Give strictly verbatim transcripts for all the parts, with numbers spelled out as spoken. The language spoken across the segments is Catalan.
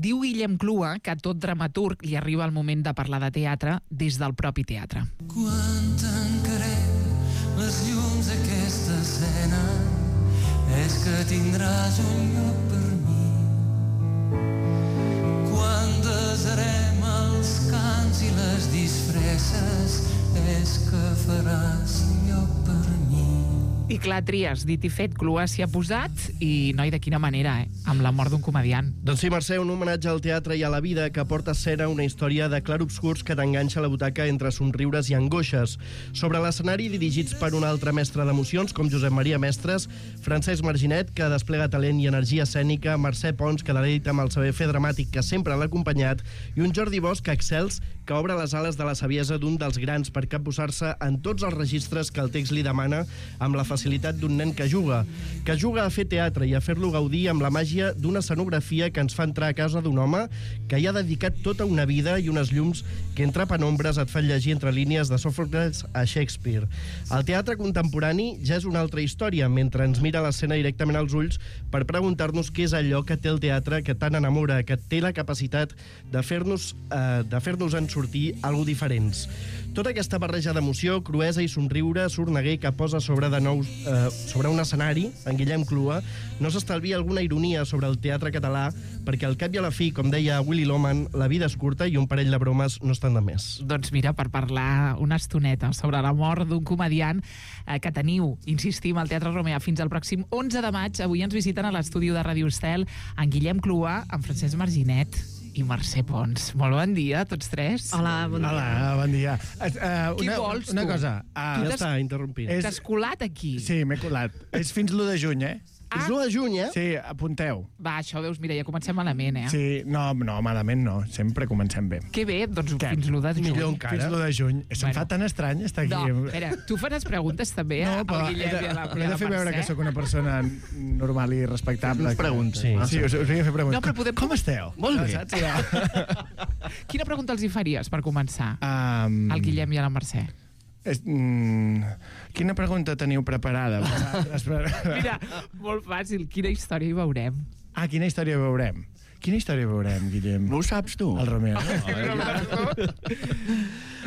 Diu Guillem Clua que a tot dramaturg li arriba el moment de parlar de teatre des del propi teatre. Quan tancarem les llums d'aquesta escena és que tindràs un lloc per mi. Quan desarem els cants i les disfresses és que faràs lloc per mi. I clar, Trias, dit i fet, Clua s'hi ha posat i, noi, de quina manera, eh? Amb la mort d'un comediant. Doncs sí, Mercè, un homenatge al teatre i a la vida que porta a escena una història de clarobscurs que t'enganxa a la butaca entre somriures i angoixes. Sobre l'escenari, dirigits per un altre mestre d'emocions, com Josep Maria Mestres, Francesc Marginet, que desplega talent i energia escènica, Mercè Pons, que deleita amb el saber fer dramàtic que sempre l'ha acompanyat, i un Jordi Bosch excels, que obre les ales de la saviesa d'un dels grans per capbussar-se en tots els registres que el text li demana amb la facilitat d'un nen que juga, que juga a fer teatre i a fer-lo gaudir amb la màgia d'una escenografia que ens fa entrar a casa d'un home que hi ha dedicat tota una vida i unes llums que entre penombres et fan llegir entre línies de Sòfocles a Shakespeare. El teatre contemporani ja és una altra història, mentre ens mira l'escena directament als ulls per preguntar-nos què és allò que té el teatre que tant enamora, que té la capacitat de fer-nos eh, de fer-nos en sortir algo diferents. Tota aquesta barreja d'emoció, cruesa i somriure, sorneguer que posa sobre de nou eh, sobre un escenari, en Guillem Clua, no s'estalvia alguna ironia sobre el teatre català, perquè al cap i a la fi, com deia Willy Loman, la vida és curta i un parell de bromes no estan de més. Doncs mira, per parlar una estoneta sobre la mort d'un comediant eh, que teniu, insistim, al Teatre Romea fins al pròxim onze de maig, avui ens visiten a l'estudi de Ràdio Estel en Guillem Clua, en Francesc Marginet i Mercè Pons. Molt bon dia a tots tres. Hola, bon dia. Hola, bon dia. Uh, Qui una, vols, una tu? cosa. Uh, ja està, interrompint. És... T'has colat aquí? Sí, m'he colat. És fins l'u de juny, eh? Ah. És l'u de juny, eh? Sí, apunteu. Va, això veus, mira, ja comencem malament, eh? Sí, no, no, malament no. Sempre comencem bé. Que bé, doncs Què? fins l'u de juny. Millor encara. Fins l'u de juny. Se'm Bueno. fa tan estrany estar aquí. No, espera, tu faràs preguntes també No, al però he Guillem de, i a la, he de fer veure que sóc una persona normal i respectable. Fes preguntes. Sí, sí us, us vinc a fer preguntes. No, però podem- Com esteu? Molt bé. Saps? Ja. Quina pregunta els hi faries per començar? Um, Al Guillem i a la Mercè. és, mm, quina pregunta teniu preparada? Mira, molt fàcil, quina història hi veurem? Ah, quina història veurem? Quina història veurem, Guillem? No ho saps, tu? El Romeo.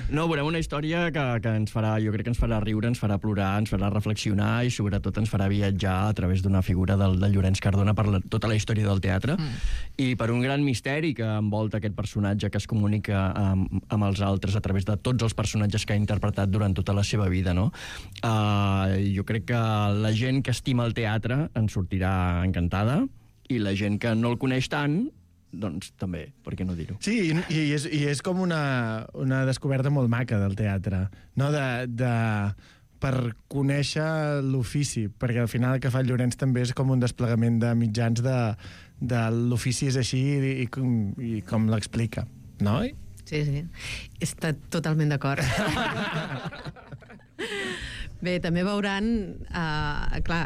No, veurem una història que, que ens farà, jo crec que ens farà riure, ens farà plorar, ens farà reflexionar i sobretot ens farà viatjar a través d'una figura del, del Llorenç Cardona per la, tota la història del teatre mm. i per un gran misteri que envolta aquest personatge que es comunica amb, amb els altres a través de tots els personatges que ha interpretat durant tota la seva vida, no? Uh, jo crec que la gent que estima el teatre en sortirà encantada i la gent que no el coneix tant doncs també, per què no dir-ho? Sí, i, i, és, i és com una, una descoberta molt maca del teatre, no? De, de, per conèixer l'ofici, perquè al final el que fa el Llorenç també és com un desplegament de mitjans de, de l'ofici és així i, i, com, i com l'explica, no? Sí, sí. Està totalment d'acord. Bé, també veuran... Uh, clar,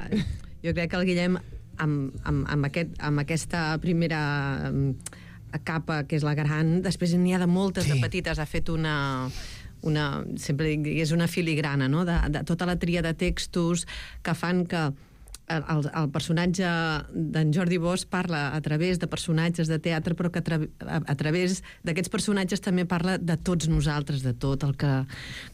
jo crec que el Guillem amb, amb, amb, aquest, amb aquesta primera um, capa, que és la gran, després n'hi ha de moltes sí. de petites. Ha fet una... una sempre dic, és una filigrana, no? de, de tota la tria de textos que fan que el, el personatge d'en Jordi Bosch parla a través de personatges de teatre, però que a, tra a, a través d'aquests personatges també parla de tots nosaltres, de tot el que...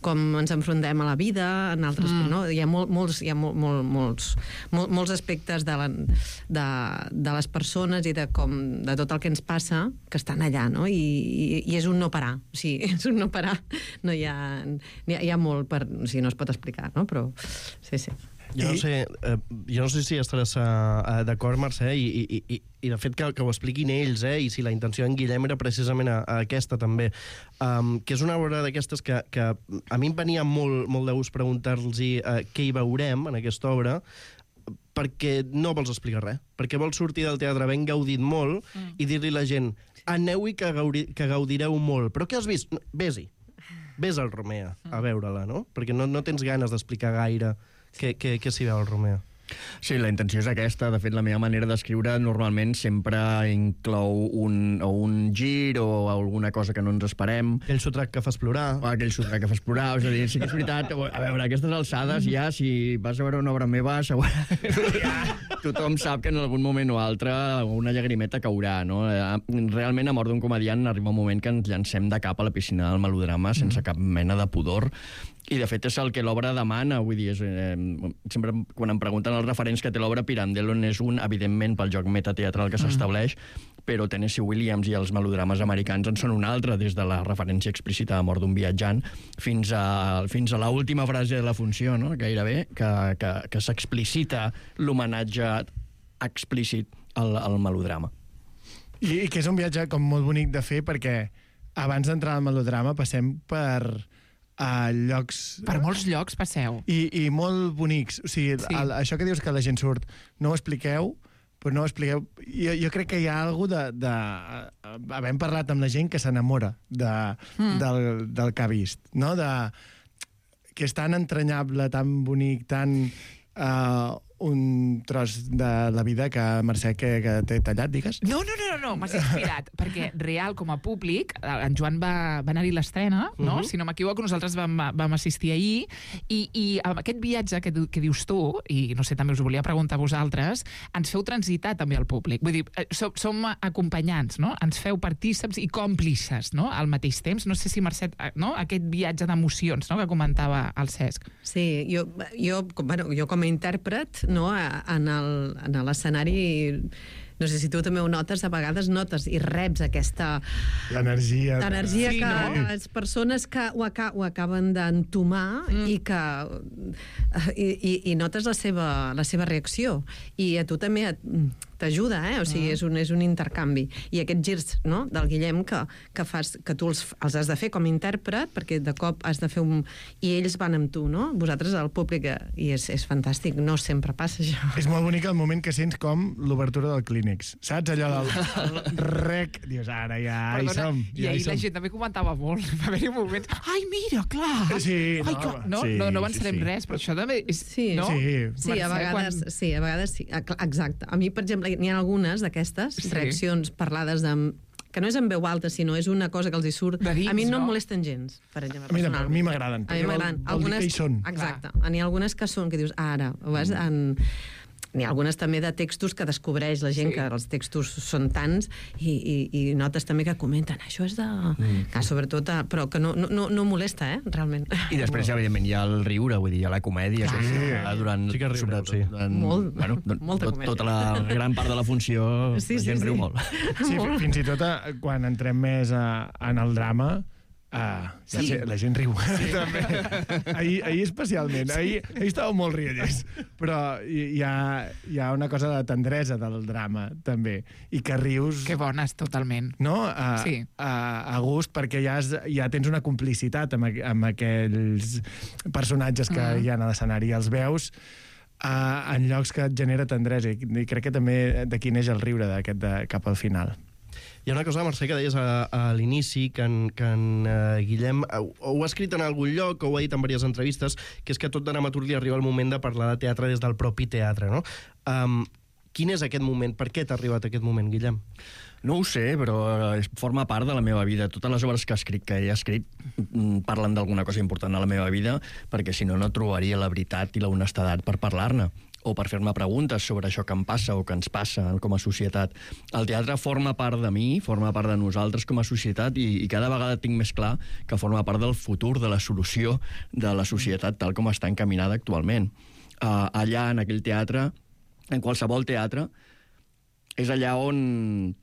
com ens enfrontem a la vida, en altres... Mm. No? Hi ha, molt, molts, hi ha molt, molt, molts, molt, molts aspectes de, la, de, de les persones i de, com, de tot el que ens passa que estan allà, no? I, i, i és un no parar. O sigui, és un no parar. No hi ha, hi ha, hi ha molt per... O sigui, no es pot explicar, no? Però sí, sí. Jo no sé, eh, jo no sé si estaràs uh, d'acord, Mercè, i, i, i, i de fet que, que ho expliquin ells, eh, i si la intenció d'en Guillem era precisament a, a aquesta també, um, que és una obra d'aquestes que, que a mi em venia molt, molt de gust preguntar-los uh, què hi veurem en aquesta obra, perquè no vols explicar res, perquè vols sortir del teatre ben gaudit molt mm. i dir-li a la gent, aneu-hi que, gaudi, que gaudireu molt, però què has vist? Ves-hi, ves al Romea a veure-la, no? Perquè no, no tens ganes d'explicar gaire què, què, què s'hi veu al Romea. Sí, la intenció és aquesta. De fet, la meva manera d'escriure normalment sempre inclou un, o un gir o alguna cosa que no ens esperem. Aquell sotrac que fas plorar. O aquell sotrac que fas plorar. És a dir, sí que és veritat. A veure, aquestes alçades ja, si vas a veure una obra meva, segur... ja, tothom sap que en algun moment o altre una llagrimeta caurà, no? Realment, a Mort d'un comediant arriba un moment que ens llancem de cap a la piscina del melodrama sense cap mena de pudor. I, de fet, és el que l'obra demana. Vull dir, és, eh, sempre quan em pregunten els referents que té l'obra, Pirandello és un, evidentment, pel joc metateatral que s'estableix, però Tennessee Williams i els melodrames americans en són un altre, des de la referència explícita a Mort d'un viatjant fins a, fins a l'última frase de la funció, no? Gairebé, que, que, que s'explicita l'homenatge explícit al, al melodrama. I, I que és un viatge com molt bonic de fer, perquè abans d'entrar al melodrama passem per... a llocs... Per molts llocs passeu. I, i molt bonics. O sigui, sí. el, això que dius que la gent surt, no ho expliqueu, però no ho expliqueu... Jo, jo crec que hi ha alguna de... de havent parlat amb la gent que s'enamora de, mm. del, del que ha vist, no? De, que és tan entranyable, tan bonic, tan... Uh, un tros de la vida que Mercè que, que t'he tallat, digues? No, no, no, no, no m'has inspirat, perquè real, com a públic, en Joan va, va anar-hi l'estrena, no? Uh -huh. Si no m'equivoco, nosaltres vam, vam assistir ahir, i, i amb aquest viatge que, que dius tu, i no sé, també us ho volia preguntar a vosaltres, ens feu transitar també al públic. Vull dir, som, som acompanyants, no? Ens feu partíceps i còmplices, no? Al mateix temps. No sé si, Mercè, no? Aquest viatge d'emocions, no? Que comentava el Cesc. Sí, jo, jo, bueno, jo com a intèrpret, no, en el, en l'escenari, no sé si tu també ho notes, a vegades notes i reps aquesta... L'energia. L'energia sí, que no? les persones que ho, aca ho acaben d'entomar mm. i que... I, i, i notes la seva, la seva reacció. I a tu també t'ajuda, eh? O sigui, mm. és, un, és un intercanvi. I aquests girs, no?, del Guillem que, que, fas, que tu els, els has de fer com a intèrpret, perquè de cop has de fer un... I ells van amb tu, no? Vosaltres, al públic, i és, és fantàstic. No sempre passa això. És molt bonic el moment que sents com l'obertura del Clínex. Saps allò del rec? Dius, ara ja hi som. I ja ahir hi som. la gent també comentava molt. Va haver-hi moments... Ai, mira, clar! Sí, Ai, no, clar. No, sí, no, no avançarem sí, sí. res, però això també és... Sí, no? sí. Sí, a Mercè, vegades, quan... sí, a vegades sí. Exacte. A mi, per exemple, n'hi ha algunes d'aquestes Sí. reaccions parlades amb... que no és en veu alta, sinó és una cosa que els hi surt... De dins, a mi no, no? em molesten gens, per exemple, A mi, personalment. a mi m'agraden. A mi m'agraden. Vol, vol dir que hi són. Exacte. N'hi ha algunes que són, que dius, ara, ho vas en... N'hi ha algunes també de textos que descobreix la gent, sí. que els textos són tants, i, i, i notes també que comenten, això és de... Mm. Que sobretot, però que no, no, no molesta, eh, realment. I després, evidentment, hi ha el riure, vull dir, hi ha la comèdia, que sí. durant... Sí que riureu, sí. Durant, Molt, bueno, molta tot, comèdia. tota la gran part de la funció, Sí, la sí, gent sí. riu molt. Sí, fins i tot a, quan entrem més a, en el drama, Ah, sí. la, gent, la gent riu. Sí. També. Ahir, ahir especialment. Ahir, ahir estava molt riallers. Però hi ha, hi ha una cosa de tendresa del drama, també. I que rius... Que bones, totalment. No? A, sí. a, a gust, perquè ja, has, ja tens una complicitat amb, amb aquells personatges que mm. hi ha a l'escenari. Els veus uh, en llocs que et genera tendresa. I, i crec que també d'aquí neix el riure d'aquest de, cap al final. Hi ha una cosa, Mercè, que deies a, a l'inici, que en, que en uh, Guillem ho, ho ha escrit en algun lloc, o ho ha dit en diverses entrevistes, que és que a tot dramaturg li arriba el moment de parlar de teatre des del propi teatre, no? Um, quin és aquest moment? Per què t'ha arribat aquest moment, Guillem? No ho sé, però forma part de la meva vida. Totes les obres que escric, que he escrit, parlen d'alguna cosa important a la meva vida, perquè si no, no trobaria la veritat i la honestedat per parlar-ne, o per fer-me preguntes sobre això que em passa o que ens passa com a societat. El teatre forma part de mi, forma part de nosaltres com a societat, i, i cada vegada tinc més clar que forma part del futur, de la solució de la societat tal com està encaminada actualment. Uh, allà, en aquell teatre, en qualsevol teatre, és allà on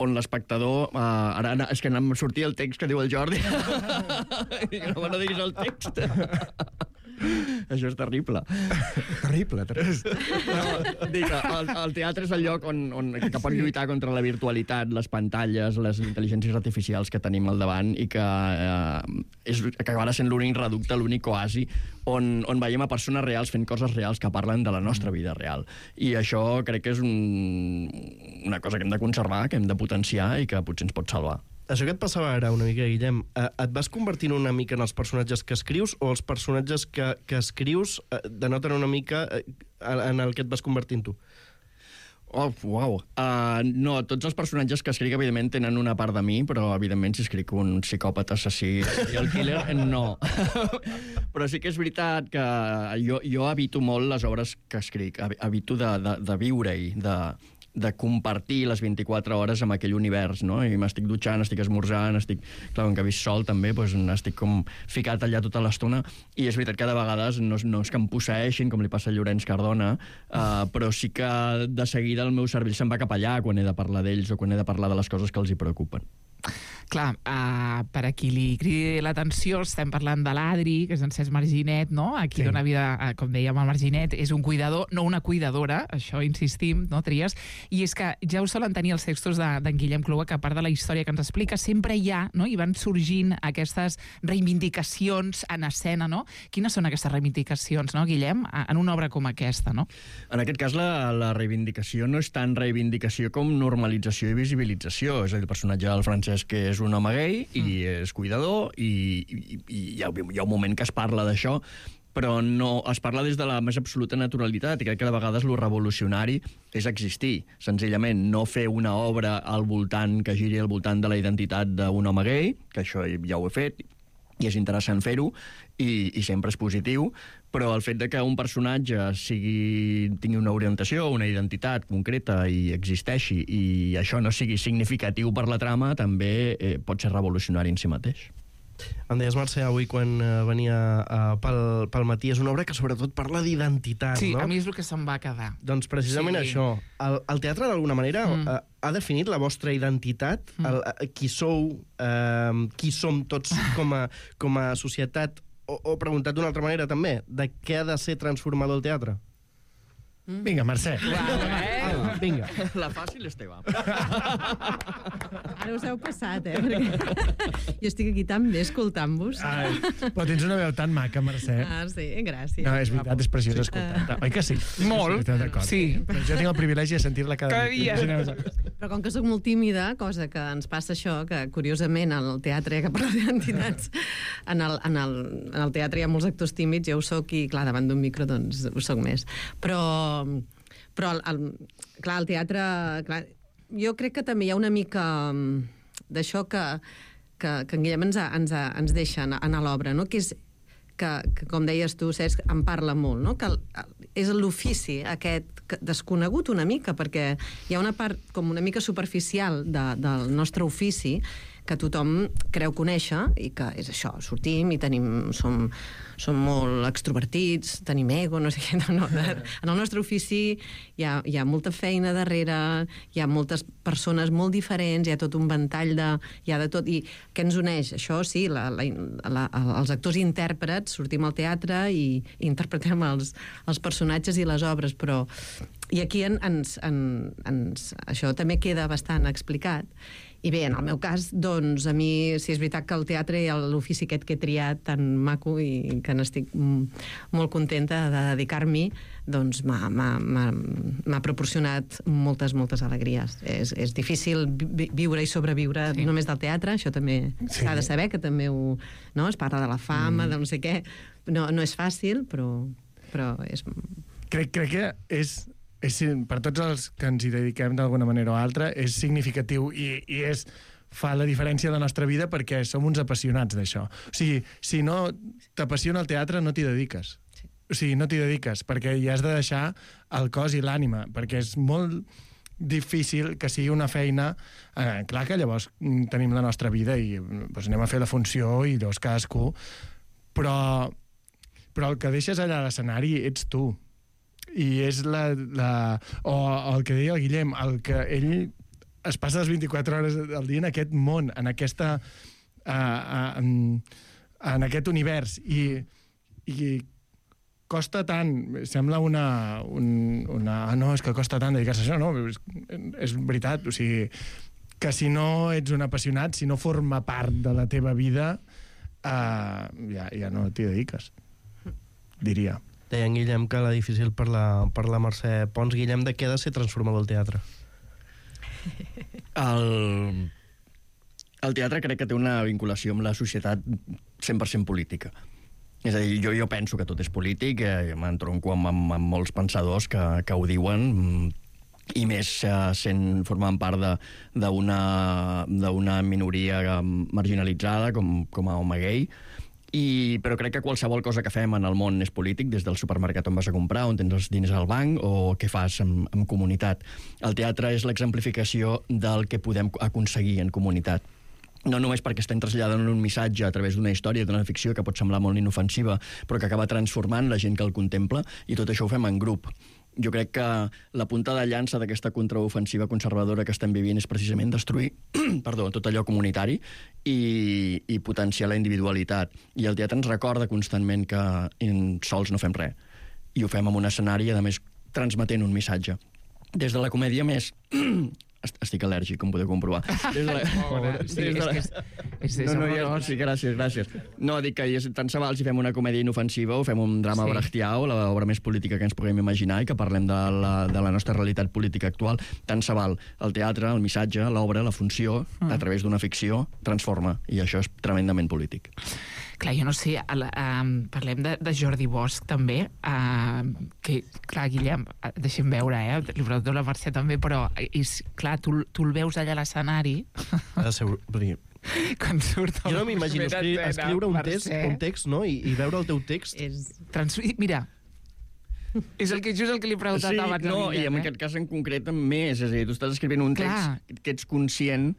on l'espectador... Uh, ara, és que em sortia el text que diu el Jordi. no, no diguis el text. Això és terrible. Terrible, terrible. No, dic, el, el teatre és el lloc on, on, que pot lluitar contra la virtualitat, les pantalles, les intel·ligències artificials que tenim al davant, i que, eh, és, que acabarà sent l'únic reducte, l'únic oasi on, on veiem a persones reals fent coses reals que parlen de la nostra vida real. I això crec que és un, una cosa que hem de conservar, que hem de potenciar i que potser ens pot salvar. Això que et passava ara una mica, Guillem, eh, et vas convertint una mica en els personatges que escrius o els personatges que, que escrius eh, denoten una mica eh, en el que et vas convertint tu? Oh, uau. Uh, no, tots els personatges que escric, evidentment, tenen una part de mi, però, evidentment, si escric un psicòpata assassí i el killer, no. Però sí que és veritat que jo, jo evito molt les obres que escric. Evito de, de, de viure-hi, de, de compartir les vint-i-quatre hores amb aquell univers, no? I m'estic dutxant, estic esmorzant, estic... Clar, com que visc sol, també, doncs, estic com ficat allà tota l'estona, i és veritat que de vegades no, no és que em posseeixin, com li passa a Llorenç Cardona, uh, però sí que de seguida el meu cervell se'n va cap allà quan he de parlar d'ells o quan he de parlar de les coses que els hi preocupen. Clar, uh, per a qui li cridi l'atenció, estem parlant de l'Adri, que és en Cesc Marginet, no? Aquí sí. Dona vida, uh, com dèiem, al Marginet, és un cuidador, no una cuidadora, això insistim, no, Tries? I és que ja ho solen tenir els textos d'en de, Guillem Clua, que a part de la història que ens explica, sempre hi ha, no? I van sorgint aquestes reivindicacions en escena, no? Quines són aquestes reivindicacions, no, Guillem, en una obra com aquesta, no? En aquest cas, la, la reivindicació no és tant reivindicació com normalització i visibilització. És a dir, el personatge del Francesc, que és un home gay i mm. és cuidador, i, i, i hi, ha, hi ha un moment que es parla d'això, però no es parla des de la més absoluta naturalitat, i crec que de vegades lo revolucionari és existir, senzillament no fer una obra al voltant que giri al voltant de la identitat d'un home gay, que això ja ho he fet, i és interessant fer-ho, i, i sempre és positiu, però el fet de que un personatge sigui, tingui una orientació, una identitat concreta i existeixi, i això no sigui significatiu per la trama, també eh, pot ser revolucionari en si mateix. Em deies, Mercè, avui quan uh, venia uh, pel, pel matí, és una obra que sobretot parla d'identitat, sí, no? Sí, a mi és el que se'm va quedar. Doncs precisament sí. això. El, el teatre, d'alguna manera, mm. uh, ha definit la vostra identitat, mm. el, uh, qui sou, uh, qui som tots com a, com a societat, o, o preguntat d'una altra manera també, de què ha de ser transformador el teatre? Mm. Vinga, Mercè. Wow, eh? Ah, vinga. La fàcil és teva. Ara us heu passat, eh? Perquè jo estic aquí tan bé escoltant-vos. Ai, però tens una veu tan maca, Mercè. Ah, sí, gràcies. No, és veritat, és preciós escoltar-te. Oi que sí? Molt, sí. Però jo tinc el privilegi de sentir-la cada, cada dia. Però com que sóc molt tímida, cosa que ens passa això, que curiosament al teatre, que parla d'identitats, en el, en, el, en el teatre hi ha molts actors tímids, jo ho soc, i clar, davant d'un micro doncs ho soc més. Però però el, el, clar, el teatre, clar, jo crec que també hi ha una mica d'això que, que, que en Guillem ens, ens, ens deixa en l'obra, no? Que és que, que, com deies tu, Cesc, en parla molt, no? Que el, és l'ofici aquest desconegut una mica, perquè hi ha una part com una mica superficial de, del nostre ofici que tothom creu conèixer, i que és això, sortim i tenim, som, som molt extrovertits, tenim ego, no sé què, no, no, en el nostre ofici hi ha, hi ha molta feina darrere, hi ha moltes persones molt diferents, hi ha tot un ventall de... hi ha de tot, i què ens uneix? Això sí, la, la, la, els actors i intèrprets sortim al teatre i, i interpretem els, els personatges i les obres, però... I aquí en, ens, en, ens, això també queda bastant explicat. I bé, en el meu cas, doncs, a mi, sí, és veritat que el teatre i l'ofici aquest que he triat tan maco i que n'estic molt contenta de dedicar-m'hi, doncs m'ha proporcionat moltes, moltes alegries. És, és difícil vi viure i sobreviure sí. només del teatre, això també s'ha sí. de saber, que també ho, no? Es parla de la fama, mm. de no sé què. No, no és fàcil, però, però és... Crec, crec que és... És, per tots els que ens hi dediquem d'alguna manera o altra, és significatiu i, i és, fa la diferència de la nostra vida perquè som uns apassionats d'això. O sigui, si no t'apassiona el teatre, no t'hi dediques. Sí. O sigui, no t'hi dediques, perquè hi has de deixar el cos i l'ànima, perquè és molt difícil que sigui una feina... Eh, clar que llavors tenim la nostra vida i doncs, anem a fer la funció i llavors cadascú, però, però el que deixes allà a l'escenari ets tu. I és la, la... O, o el que deia el Guillem, el que ell es passa les vint-i-quatre hores al dia en aquest món, en aquesta... Uh, uh, en, en aquest univers. I, i costa tant, sembla una... Un, una no, és que costa tant dedicar-se a això, no? És, és veritat, o sigui, que si no ets un apassionat, si no forma part de la teva vida, uh, ja, ja no t'hi dediques, diria. Deia en Guillem que la difícil per la, per la Mercè Pons. Guillem, de què ha de ser transformador el teatre? El... el teatre crec que té una vinculació amb la societat cent per cent política. És a dir, jo, jo penso que tot és polític, eh, m'entronco amb, amb, amb molts pensadors que, que ho diuen, i més eh, sent, formant part d'una minoria marginalitzada com, com a home gay. I, però crec que qualsevol cosa que fem en el món és polític, des del supermercat on vas a comprar, on tens els diners al banc, o què fas en, en comunitat. El teatre és l'exemplificació del que podem aconseguir en comunitat. No només perquè estem traslladant un missatge a través d'una història, d'una ficció que pot semblar molt inofensiva, però que acaba transformant la gent que el contempla, i tot això ho fem en grup. Jo crec que la punta de llança d'aquesta contraofensiva conservadora que estem vivint és precisament destruir perdó, tot allò comunitari i, i potenciar la individualitat. I el teatre ens recorda constantment que sols no fem res. I ho fem en un escenari, a més, transmetent un missatge. Des de la comèdia més... Estic al·lèrgic, com podeu comprovar. Des de la... Sí, és que és, és, és no, no, ja, sí, gràcies, gràcies. No, dic que tant se val si fem una comèdia inofensiva o fem un drama sí. brechtià o l'obra més política que ens puguem imaginar i que parlem de la, de la nostra realitat política actual. Tant se val. El teatre, el missatge, l'obra, la funció, mm. a través d'una ficció, transforma. I això és tremendament polític. Clar, jo no sé, el, um, parlem de, de Jordi Bosch també, uh, que, clar, Guillem, deixem veure, eh? Li pregunto a la Mercè també, però és, clar, tu, tu el veus allà a l'escenari. Ha de ser... Quan surt jo no m'imagino escri escriure un text, un text, no? I, i veure el teu text. És... Trans... Mira, és el que, just el que li he preguntat sí, abans. No, Guillem, i en eh? aquest cas en concret més, és a dir, tu estàs escrivint un clar. text que ets conscient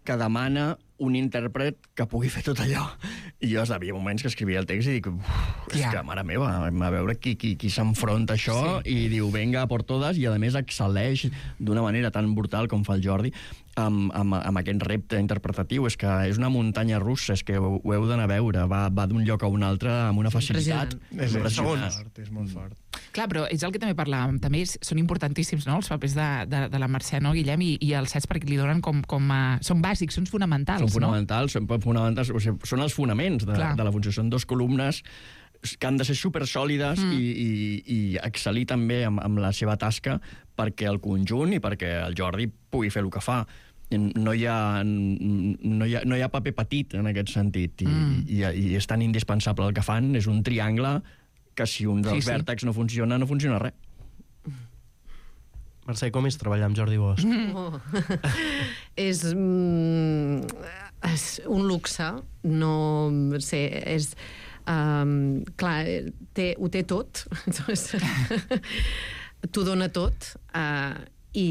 que demana un intèrpret que pugui fer tot allò. I jo havia moments que escrivia el text i dic, és yeah. que, mare meva, a veure qui, qui, qui s'enfronta a això sí. i diu, venga, por todas, i a més excel·leix d'una manera tan brutal com fa el Jordi amb, amb, amb aquest repte interpretatiu. És que és una muntanya russa, és que ho, ho heu d'anar a veure, va, va d'un lloc a un altre amb una facilitat. És impressionant. És molt fort. Clar, però és el que també parlàvem, també són importantíssims, no?, els papers de, de, de la Mercè, no, Guillem, i, i els sets perquè li donen com... com a... Són bàsics, són fonamentals, són fonamentals, no? Són fonamentals, o sigui, són els fonaments de, de la funció. Són dos columnes que han de ser supersòlides mm. i, i, i excel·lir també amb, amb la seva tasca perquè el conjunt i perquè el Jordi pugui fer el que fa. No hi ha, no hi ha, no hi ha paper petit en aquest sentit i, mm. i, i és tan indispensable el que fan, és un triangle que si un dels sí, sí. vèrtexs no funciona, no funciona res. Mercè, com és treballar amb Jordi Bosch? Mm. Oh. és, mm, és un luxe, no sé, és... Um, clar, té, ho té tot, t'ho dona tot, uh, i,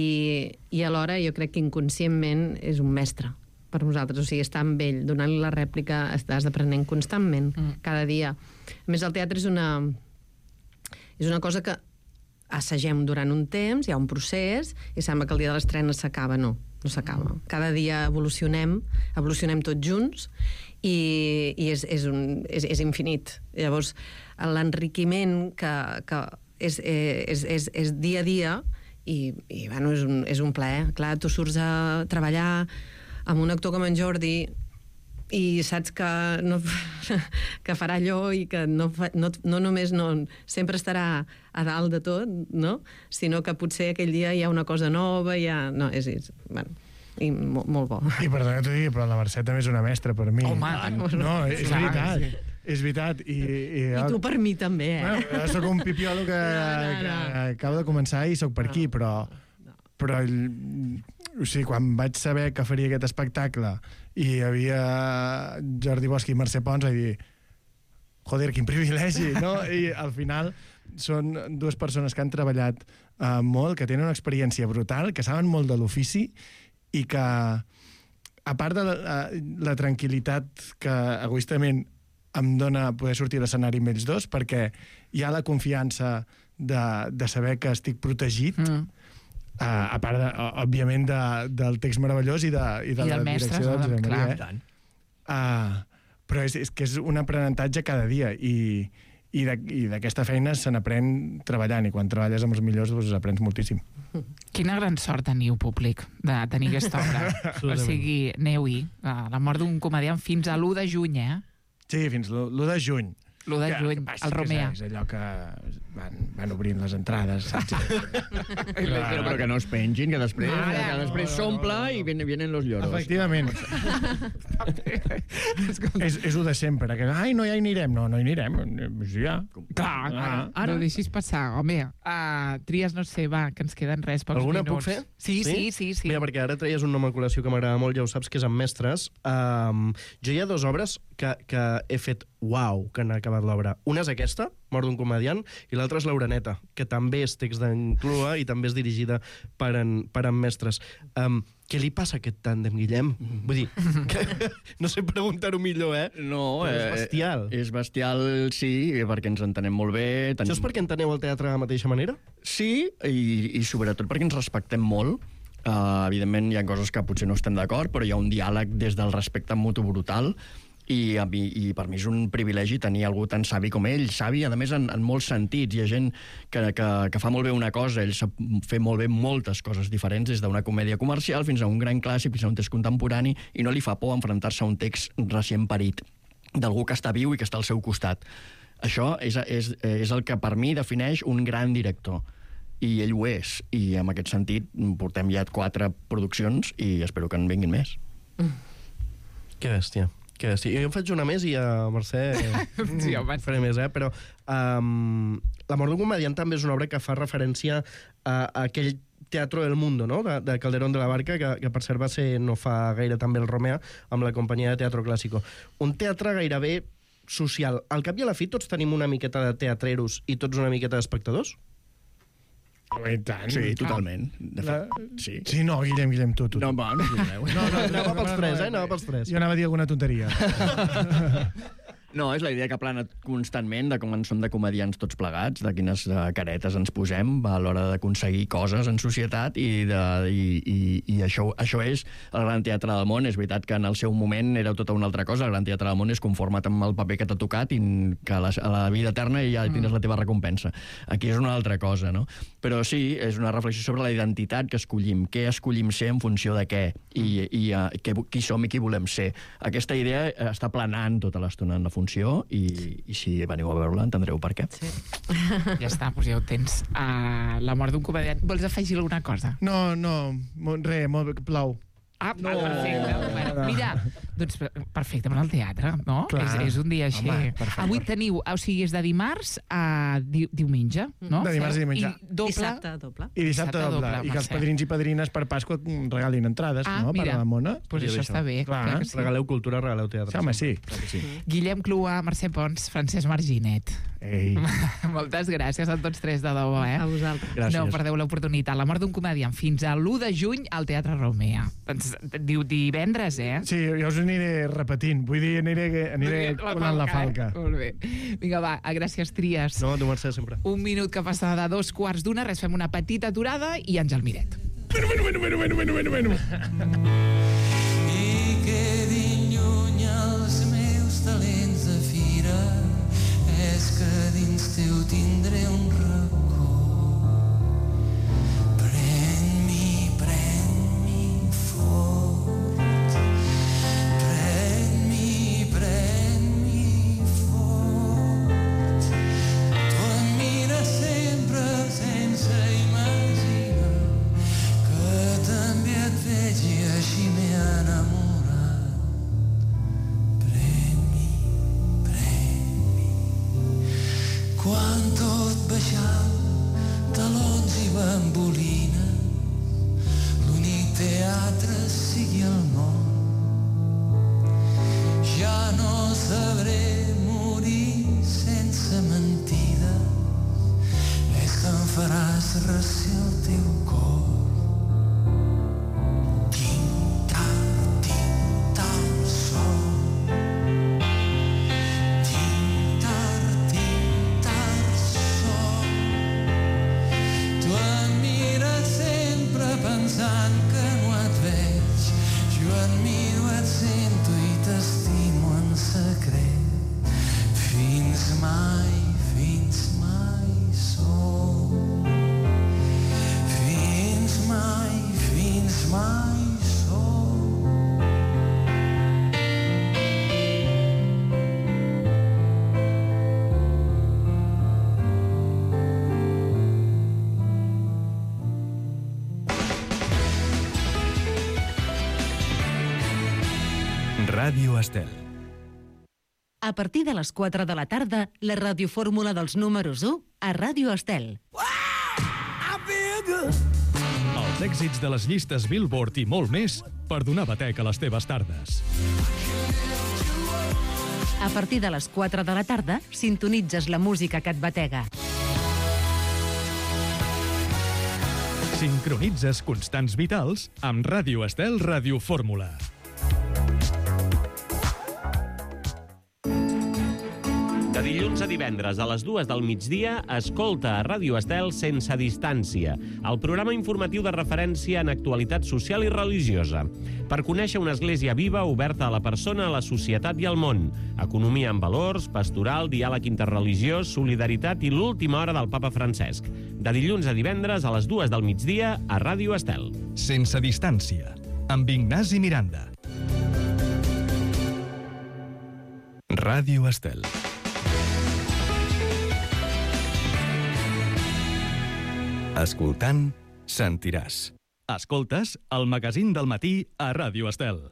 i alhora jo crec que inconscientment és un mestre per nosaltres, o sigui, està amb ell, donant-li la rèplica, estàs aprenent constantment, mm. cada dia. A més, el teatre és una, és una cosa que assagem durant un temps, hi ha un procés, i sembla que el dia de l'estrena s'acaba. No, no s'acaba. Cada dia evolucionem, evolucionem tots junts, i, i és, és, un, és, és infinit. Llavors, l'enriquiment que, que és, és, és, és dia a dia, i, i bueno, és, un, és un plaer. Clar, tu surts a treballar amb un actor com en Jordi i saps que, no, que farà allò i que no, no, no només no, sempre estarà a dalt de tot, no? Sinó que potser aquell dia hi ha una cosa nova, hi ha... No, és... és bueno, i molt, molt bo. I perdona que t'ho digui, però la Mercè també és una mestra per mi. Home, no, és sí, veritat. Sí. És veritat. I, i, I tu per mi també, eh? Bueno, soc un pipiolo que, no, no, no. que acabo de començar i soc per aquí, no, però... No. Però o sigui, quan vaig saber que faria aquest espectacle i hi havia Jordi Bosch i Mercè Pons, vaig dir, joder, quin privilegi, no? I al final són dues persones que han treballat uh, molt, que tenen una experiència brutal, que saben molt de l'ofici i que, a part de la, la tranquil·litat que egoistament em dona poder sortir a l'escenari amb ells dos, perquè hi ha la confiança de, de saber que estic protegit, mm. uh, a part, de, òbviament, de, del text meravellós i de, i de I la direcció de Josep Maria. Uh, però és, és que és un aprenentatge cada dia, i, i d'aquesta feina se n'aprèn treballant, i quan treballes amb els millors doncs aprens moltíssim. Quina gran sort teniu, públic, de tenir aquesta obra. O sigui, aneu-hi, la mort d'un comediant fins a l'u de juny, eh? Sí, fins l'u de juny. l'u de juny, al Romea. És allò que van, van obrint les entrades, saps? Però, però que no es pengin, que després, No, que no, després s'omple i vienen, vienen los lloros. Efectivament. és, és el de sempre, que ai, no, ja hi anirem. No, no hi anirem. Sí, ja. Clar, Ah, ara. No deixis passar, home. Uh, tries, no sé, va, que ens queden res, pocs Alguna minuts. puc fer? Sí, sí, sí. sí. Mira, perquè ara treies un nom a col·lació que m'agrada molt, ja ho saps, que és amb mestres. Um, jo hi ha dues obres que, que he fet uau, que han acabat l'obra. Una és aquesta, Mort d'un comediant, i l'altra és l'Oreneta, que també és text d'en Clua i també és dirigida per en, per en mestres. Um, què li passa a aquest tàndem, Guillem? Vull dir, que, no sé preguntar-ho millor, eh? No, Però eh, és bestial. És bestial, sí, perquè ens entenem molt bé. Tenim... Això és perquè enteneu el teatre de la mateixa manera? Sí, i, i sobretot perquè ens respectem molt. Uh, evidentment hi ha coses que potser no estem d'acord, però hi ha un diàleg des del respecte mutu brutal. I, a mi, i per mi és un privilegi tenir algú tan savi com ell, savi, a més, en, en molts sentits. Hi ha gent que, que, que fa molt bé una cosa, ell sap fer molt bé moltes coses diferents, des d'una comèdia comercial fins a un gran clàssic, fins a un text contemporani, i no li fa por enfrontar-se a un text recient parit d'algú que està viu i que està al seu costat. Això és, és, és el que per mi defineix un gran director. I ell ho és. I en aquest sentit portem ja quatre produccions i espero que en vinguin més. Mm. Que bèstia. Que sí, jo en faig una més i a Mercè Sí, home. faré més, eh? Però um, La mort d'un comediant també és una obra que fa referència a, a aquell Teatro del Mundo, no?, de, de Calderón de la Barca, que, que per cert va ser no fa gaire també el Romea, amb la companyia de Teatro Clásico. Un teatre gairebé social. Al cap i a la fi tots tenim una miqueta de teatreros i tots una miqueta d'espectadors? I tant. Sí, totalment. De fet, sí. Sí, no, Guillem, Guillem, tu, tu. No, va, no us no, no, Anava pels tres, eh? Anava pels tres. Jo anava a dir alguna tonteria. No, és la idea que plana constantment de com en som de comedians tots plegats, de quines uh, caretes ens posem a l'hora d'aconseguir coses en societat i, de, i, i, i això, això és el Gran Teatre del Món. És veritat que en el seu moment era tota una altra cosa. El Gran Teatre del Món és conforma't amb el paper que t'ha tocat i que a la, a la vida eterna ja tindràs la teva recompensa. Aquí és una altra cosa, no? Però sí, és una reflexió sobre la identitat que escollim, què escollim ser en funció de què i, i uh, què, qui som i qui volem ser. Aquesta idea està planant tota l'estona en la funció i, i si veniu a veure-la entendreu per què. Sí. Ja està, doncs ja ho tens. Uh, la mort d'un comediant. Vols afegir alguna cosa? No, no, mo- res, molt, plou. Ah, no. Perfecte. Bueno, mira, doncs perfecte, amb el teatre, no? Clar. És, és un dia així. Home, perfecte. Avui teniu, o sigui, és de dimarts a di diumenge, no? De dimarts a diumenge. I doble... Dissabte, doble. I dissabte Dissabte doble. doble, I que els Mercè. padrins i padrines per Pasqua regalin entrades, Ah, no? mira. Per a la mona. Pues això està bé. Clar, clar que sí. Regaleu cultura, regaleu teatre. Sí, home, sí. Sí. Guillem Clua, Mercè Pons, Francesc Marginet. Ei. Moltes gràcies a tots tres de debò, eh? A vosaltres. Gràcies. No perdeu l'oportunitat. La mort d'un comediant fins a l'u de juny al Teatre Romea. Doncs, diu divendres, eh? Sí, jo us aniré repetint. Vull dir, aniré, aniré colant la falca. Eh? Molt bé. Vinga, va, gràcies, Tries. No, tu, Mercè, sempre. Un minut que passa de dos quarts d'una, res, fem una petita aturada i Àngel Miret. Bueno, bueno, bueno, bueno, bueno, bueno, bueno. I quedin lluny els meus talents de fira, és que dins teu tindré un racó. Pren-m'hi, pren-m'hi fort, pren-m'hi, pren-m'hi fort. Tu em mires sempre sense imaginar que també et veig i així m'he enamorat. Pren-m'hi, pren-m'hi. Quan tot baixant, talons i bambolines, l'únic teatre sigui el món. Ja no sabré morir sense mentides, és que em faràs recer el teu cor. Ràdio Estel. A partir de les quatre de la tarda, la radiofórmula dels números u a Ràdio Estel. Els èxits de les llistes Billboard i molt més per donar batec a les teves tardes. A partir de les quatre de la tarda, sintonitzes la música que et batega. Sincronitzes constants vitals amb Ràdio Estel Radiofórmula. De dilluns a divendres a les dues del migdia, escolta a Ràdio Estel Sense Distància, el programa informatiu de referència en actualitat social i religiosa, per conèixer una església viva oberta a la persona, a la societat i al món, economia amb valors, pastoral, diàleg interreligiós, solidaritat i l'última hora del papa Francesc. De dilluns a divendres a les dues del migdia a Ràdio Estel. Sense Distància, amb Ignasi Miranda. Ràdio Estel. Escoltant, sentiràs. Escoltes el magazín del matí a Ràdio Estel.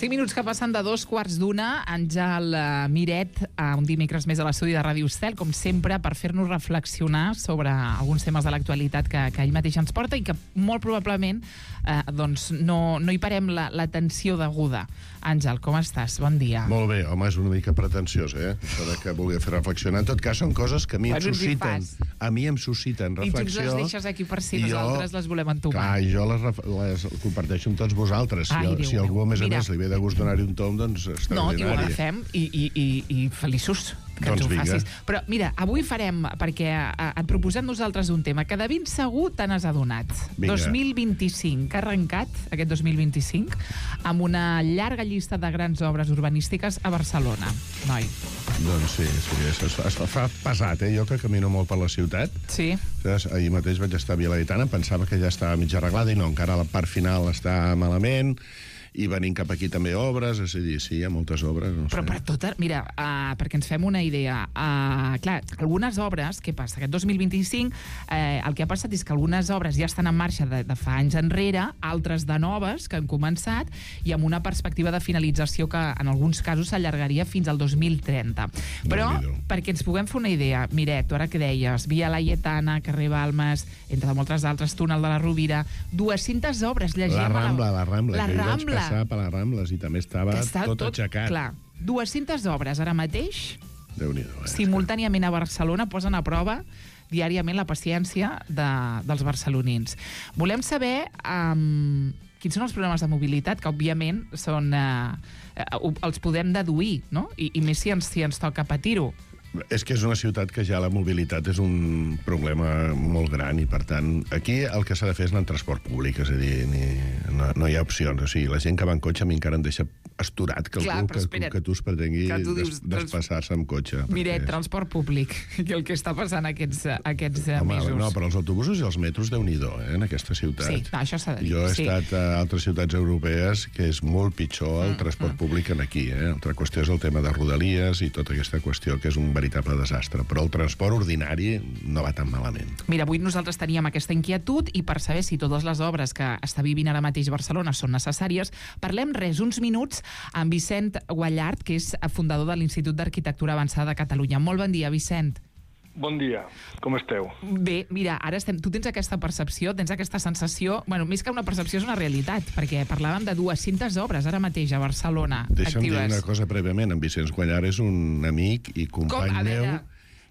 cinc minuts que passen de dos quarts d'una. Àngel Miret, un dimecres més a l'estudi de Ràdio Estel, com sempre, per fer-nos reflexionar sobre alguns temes de l'actualitat que, que ell mateix ens porta i que molt probablement eh, doncs no, no hi parem l'atenció deguda. Àngel, com estàs? Bon dia. Molt bé, home, és una mica pretensiós, eh? Això de que vulgui fer reflexionar. En tot cas, són coses que a mi em Bueno, susciten. A mi em susciten reflexió. I tu ens les deixes aquí per si i nosaltres jo, les volem entomar. Clar, i jo les, ref- les comparteixo amb tots vosaltres. Si, Ai, Déu Déu si algú, a més a Mira. més, li ve de gust donar-hi un tom, doncs No, i ho extraordinari. agafem i, i, i, i feliços que Doncs ens ho vinga. facis. Però mira, avui farem, perquè eh, et proposem nosaltres un tema que de ben segur te n'has adonat. Vinga. dos mil vint-i-cinc, que ha arrencat aquest dos mil vint-i-cinc amb una llarga llista de grans obres urbanístiques a Barcelona. Noi. Doncs sí, sí, es, es, es fa pesat, eh? Jo que camino molt per la ciutat. Sí. Saps? Ahir mateix vaig estar a Vilaitana, pensava que ja estava mig arreglada i no, encara la part final està malament. I venint cap aquí també obres, és a dir, sí, hi ha moltes obres. No Però sé. per tota... Mira, uh, perquè ens fem una idea. Uh, clar, algunes obres, què passa? Aquest dos mil vint-i-cinc eh, el que ha passat és que algunes obres ja estan en marxa de, de fa anys enrere, altres de noves que han començat i amb una perspectiva de finalització que en alguns casos s'allargaria fins al dos mil trenta. Però, perquè ens puguem fer una idea, Miret, tu ara que deies, Via Laietana, carrer Balmes, entre moltes altres, túnel de la Rovira, dues-centes obres, llegim... La Rambla, la Rambla, la que jo vaig Rambla. passar per les Rambles i també estava Està tot, tot aixecat. Clar, dues-centes obres ara mateix, Déu-n'hi-do, eh? simultàniament a Barcelona, posen a prova diàriament la paciència de, dels barcelonins. Volem saber um, quins són els problemes de mobilitat, que òbviament són, uh, uh, els podem deduir, no? I, i més si ens, si ens toca patir-ho. És que és una ciutat que ja la mobilitat és un problema molt gran i, per tant, aquí el que s'ha de fer és anar en transport públic, és a dir, ni, no, no hi ha opcions. O sigui, la gent que va en cotxe a mi encara em deixa asturat que, Clar, algú, però que, espera't, que tu es pretengui que tu des, dius, desplaçar-se amb cotxe. Miret, perquè- transport públic, i el que està passant aquests, aquests uh, Home, mesos. no, però els autobusos i els metros, Déu-n'hi-do, eh, en aquesta ciutat. Sí, no, això s'ha de dir. Jo he sí. estat a altres ciutats europees que és molt pitjor el transport públic que aquí. Eh? Altra qüestió és el tema de rodalies i tota aquesta qüestió que és un veritable desastre. Però el transport ordinari no va tan malament. Mira, avui nosaltres teníem aquesta inquietud i per saber si totes les obres que està vivint ara mateix Barcelona són necessàries, parlem res, uns minuts amb Vicent Guallart, que és fundador de l'Institut d'Arquitectura Avançada de Catalunya. Molt bon dia, Vicent. Bon dia, com esteu? Bé, mira, ara estem... Tu tens aquesta percepció, tens aquesta sensació... Bueno, més que una percepció és una realitat, perquè parlàvem de dues-centes obres ara mateix a Barcelona, Deixa'm dir actives. una cosa prèviament. En Vicenç Guallart és un amic i company Com? A meu... veure.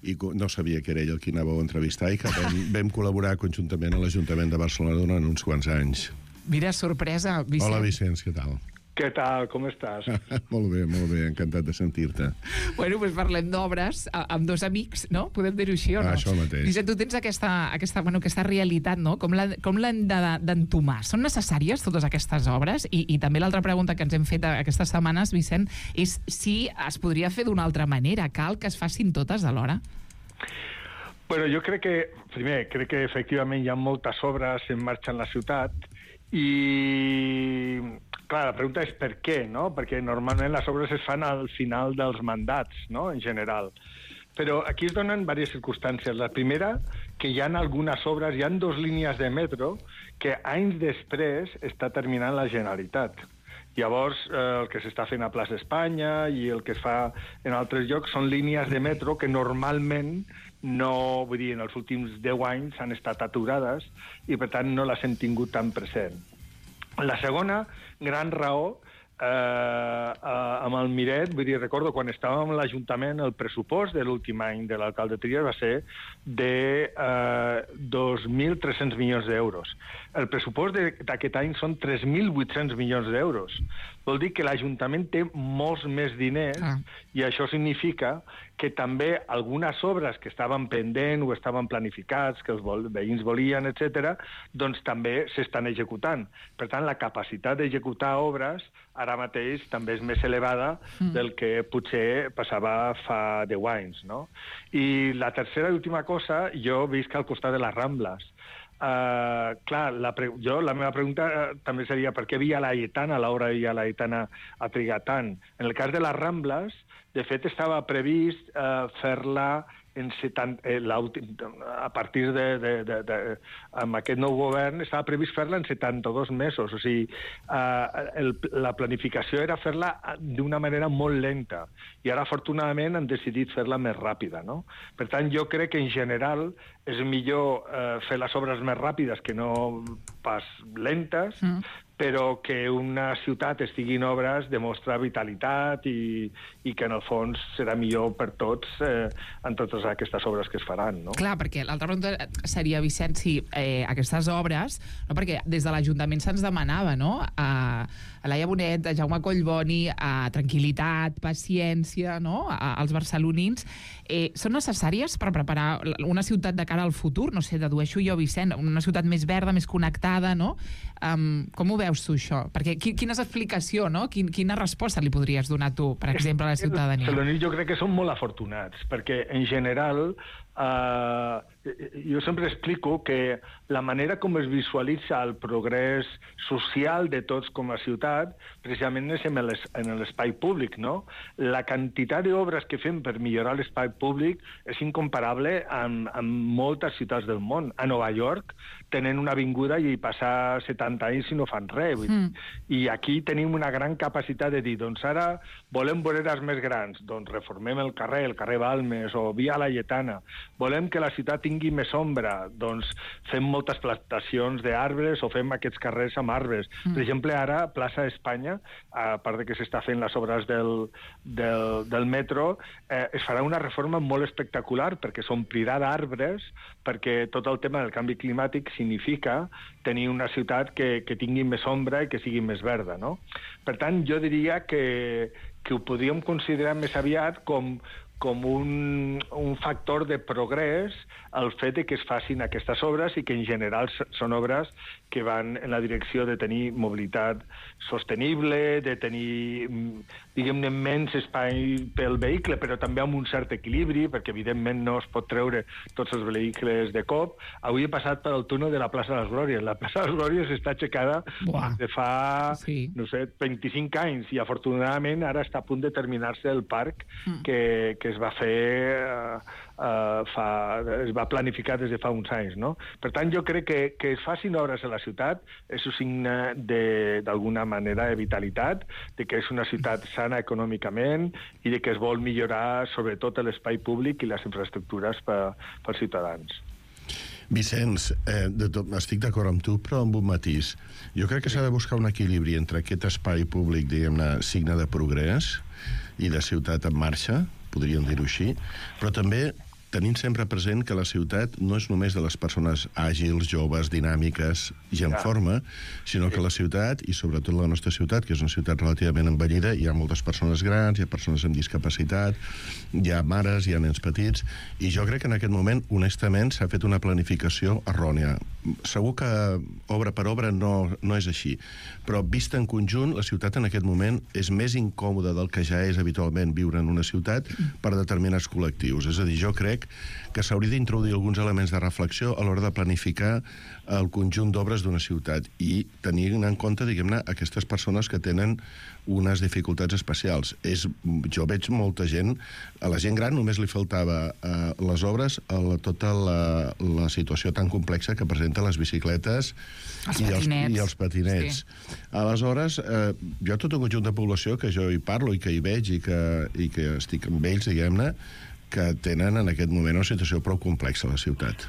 I co- no sabia que era ell el qui anàveu a entrevistar i que vam, vam col·laborar conjuntament a l'Ajuntament de Barcelona durant uns quants anys. Mira, sorpresa, Vicent. Hola, Vicenç, què tal? Què tal, com estàs? Molt bé, molt bé, encantat de sentir-te. Bueno, doncs parlem d'obres a- amb dos amics, no? Podem dir-ho així o no? Ah, això mateix. Vicent, tu tens aquesta, aquesta, bueno, aquesta realitat, no? Com l'han com l'han de- d'entomar? Són necessàries totes aquestes obres? I, i també l'altra pregunta que ens hem fet aquestes setmanes, Vicent, és si es podria fer d'una altra manera. Cal que es facin totes alhora? Bueno, jo crec que, primer, crec que efectivament hi ha moltes obres en marxa en la ciutat i, clar, la pregunta és per què, no? Perquè normalment les obres es fan al final dels mandats, no?, en general. Però aquí es donen diverses circumstàncies. La primera, que hi ha algunes obres, hi ha dues línies de metro que anys després està terminant la Generalitat. Llavors, eh, el que s'està fent a Plaça Espanya i el que es fa en altres llocs són línies de metro que normalment no, vull dir, en els últims deu anys han estat aturades i, per tant, no les hem tingut tan present. La segona gran raó, eh, eh, amb el Miret, vull dir, recordo quan estàvem a l'Ajuntament, el pressupost de l'últim any de l'alcalde Trias va ser de eh, dos mil tres-cents milions d'euros. El pressupost d'aquest any són tres mil vuit-cents milions d'euros. Vol dir que l'Ajuntament té molts més diners ah. i això significa que també algunes obres que estaven pendents o estaven planificats, que els vol, veïns volien, etcètera, doncs també s'estan executant. Per tant, la capacitat d'executar obres ara mateix també és més elevada mm. del que potser passava fa deu anys, no? I la tercera i última cosa, jo visc al costat de les Rambles. Uh, clar, la, pre jo, la meva pregunta uh, també seria per què Via Laietana, l'obra de Via Laietana ha trigat tant. En el cas de les Rambles, de fet, estava previst uh, fer-la en setanta, eh, a partir de, de, de, de... amb aquest nou govern estava previst fer-la en setanta-dos mesos. O sigui, uh, el, la planificació era fer-la d'una manera molt lenta i ara, afortunadament, han decidit fer-la més ràpida, no? Per tant, jo crec que, en general, és millor eh, fer les obres més ràpides que no pas lentes, mm. però que una ciutat estigui en obres demostra vitalitat i, i que, en el fons, serà millor per tots eh, en totes aquestes obres que es faran, no? Clar, perquè l'altra pregunta seria, Vicent, si eh, aquestes obres, no, perquè des de l'Ajuntament se'ns demanava, no?, a, a Laia Bonet, a Jaume Collboni, a tranquil·litat, paciència, no?, a, als barcelonins, eh, són necessàries per preparar una ciutat de cara al futur? No sé, dedueixo jo, Vicent, una ciutat més verda, més connectada, no? Um, com ho veus tu, això? Perquè quina és l'explicació, no? Quin, quina resposta li podries donar tu, per exemple, a la ciutadania? Els barcelonins jo crec que són molt afortunats, perquè, en general, Uh, jo sempre explico que la manera com es visualitza el progrés social de tots com a ciutat precisament és en l'espai públic, no? La quantitat d'obres que fem per millorar l'espai públic és incomparable amb, amb moltes ciutats del món. A Nova York tenen una avinguda i hi passa setanta anys i no fan res. Mm. I aquí tenim una gran capacitat de dir, doncs ara volem voreres més grans, doncs reformem el carrer, el carrer Balmes o Via Laietana. Volem que la ciutat tingui més ombra, doncs fem moltes plantacions d'arbres o fem aquests carrers amb arbres. Mm. Per exemple, ara, Plaça Espanya, a part de que s'està fent les obres del, del, del metro, eh, es farà una reforma molt espectacular perquè s'omplirà d'arbres, perquè tot el tema del canvi climàtic significa tenir una ciutat que, que tingui més ombra i que sigui més verda, no? Per tant, jo diria que, que ho podríem considerar més aviat com com un, un factor de progrés el fet de que es facin aquestes obres i que en general són obres que van en la direcció de tenir mobilitat sostenible, de tenir, diguem-ne, menys espai pel vehicle, però també amb un cert equilibri, perquè evidentment no es pot treure tots els vehicles de cop. Avui he passat per el túnel de la plaça de les Glòries. La plaça de les Glòries està aixecada des de fa, sí. no sé, vint-i-cinc anys i afortunadament ara està a punt de terminar-se el parc mm. que, que es va fer uh, uh, fa, es va planificar des de fa uns anys, no? Per tant, jo crec que, que es facin obres a la ciutat és un signe d'alguna manera de vitalitat, de que és una ciutat sana econòmicament i de que es vol millorar sobretot l'espai públic i les infraestructures per, pels ciutadans. Vicenç, eh, de tot, estic d'acord amb tu, però amb un matís. Jo crec que s'ha de buscar un equilibri entre aquest espai públic, diguem-ne, signe de progrés i de ciutat en marxa, podríem dir-ho així, però també tenint sempre present que la ciutat no és només de les persones àgils, joves, dinàmiques i en forma, sinó que la ciutat, i sobretot la nostra ciutat, que és una ciutat relativament envellida, hi ha moltes persones grans, hi ha persones amb discapacitat, hi ha mares, hi ha nens petits, i jo crec que en aquest moment, honestament, s'ha fet una planificació errònia. segur que obra per obra no, no és així, però vista en conjunt, la ciutat en aquest moment és més incòmoda del que ja és habitualment viure en una ciutat per determinats col·lectius. És a dir, jo crec que s'hauria d'introduir alguns elements de reflexió a l'hora de planificar el conjunt d'obres d'una ciutat i tenir en compte, diguem-ne, aquestes persones que tenen unes dificultats especials. És, jo veig molta gent, a la gent gran només li faltava eh, les obres a la, tota la, la situació tan complexa que presenta les bicicletes els i, els, patinets. i els patinets. Sí. Aleshores, eh, jo tot un conjunt de població que jo hi parlo i que hi veig i que, i que estic amb ells, diguem-ne, que tenen en aquest moment una situació prou complexa a la ciutat.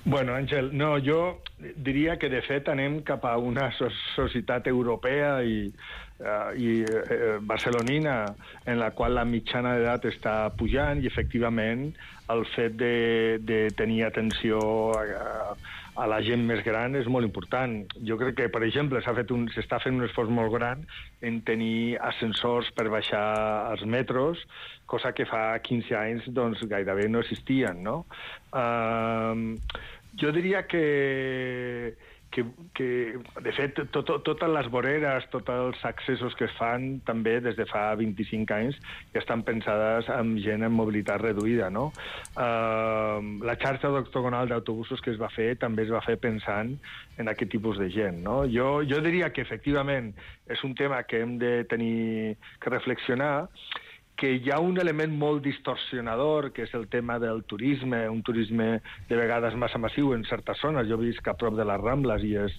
Bueno, Àngel, no, jo diria que de fet anem cap a una so societat europea i, uh, i uh, barcelonina en la qual la mitjana d'edat està pujant i efectivament el fet de, de tenir atenció a, a la gent més gran és molt important. Jo crec que, per exemple, s'ha fet un, s'està fent un esforç molt gran en tenir ascensors per baixar als metros, cosa que fa quinze anys doncs, gairebé no existien, no? Uh, jo diria que, que, que de fet, tot, totes les voreres, tots els accessos que es fan, també des de fa vint-i-cinc anys, ja estan pensades amb gent amb mobilitat reduïda, no? Uh, la xarxa octogonal d'autobusos que es va fer també es va fer pensant en aquest tipus de gent, no? Jo, jo diria que, efectivament, és un tema que hem de tenir que reflexionar, que hi ha un element molt distorsionador, que és el tema del turisme, un turisme de vegades massa massiu en certes zones. Jo visc a prop de les Rambles i és,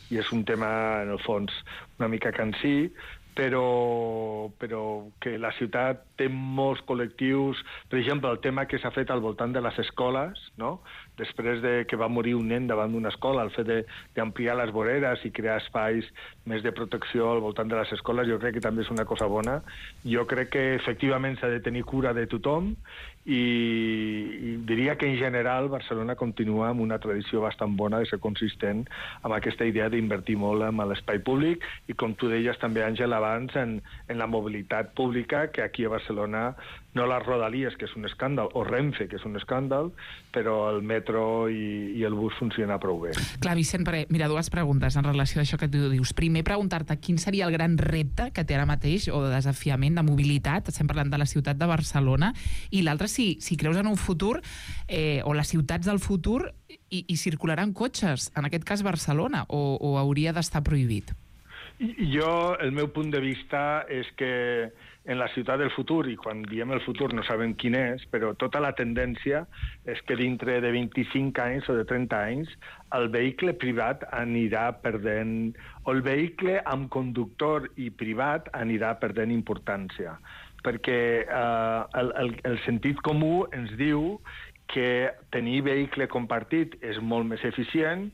i és un tema, en el fons, una mica cansí, però, però que la ciutat té molts col·lectius. Per exemple, el tema que s'ha fet al voltant de les escoles, no? Després de que va morir un nen davant d'una escola, el fet d'ampliar les voreres i crear espais més de protecció al voltant de les escoles, jo crec que també és una cosa bona. Jo crec que efectivament s'ha de tenir cura de tothom i, i diria que en general Barcelona continua amb una tradició bastant bona de ser consistent amb aquesta idea d'invertir molt en l'espai públic i, com tu deies també, Àngel, abans, en, en la mobilitat pública, que aquí a Barcelona no les Rodalies, que és un escàndal, o Renfe, que és un escàndal, però el metro i, i el bus funciona prou bé. Clar, Vicent, perquè, mira, dues preguntes en relació a això que tu dius. Primer, preguntar-te quin seria el gran repte que té ara mateix, o de desafiament de mobilitat, estem parlant de la ciutat de Barcelona, i l'altre, si, si creus en un futur, eh, o les ciutats del futur, i, i circularan cotxes, en aquest cas Barcelona, o, o hauria d'estar prohibit? Jo, el meu punt de vista és que en la ciutat del futur, i quan diem el futur no sabem quin és, però tota la tendència és que dintre de vint-i-cinc anys o de trenta anys el vehicle privat anirà perdent, o el vehicle amb conductor i privat anirà perdent importància, perquè eh, el, el, el sentit comú ens diu que tenir vehicle compartit és molt més eficient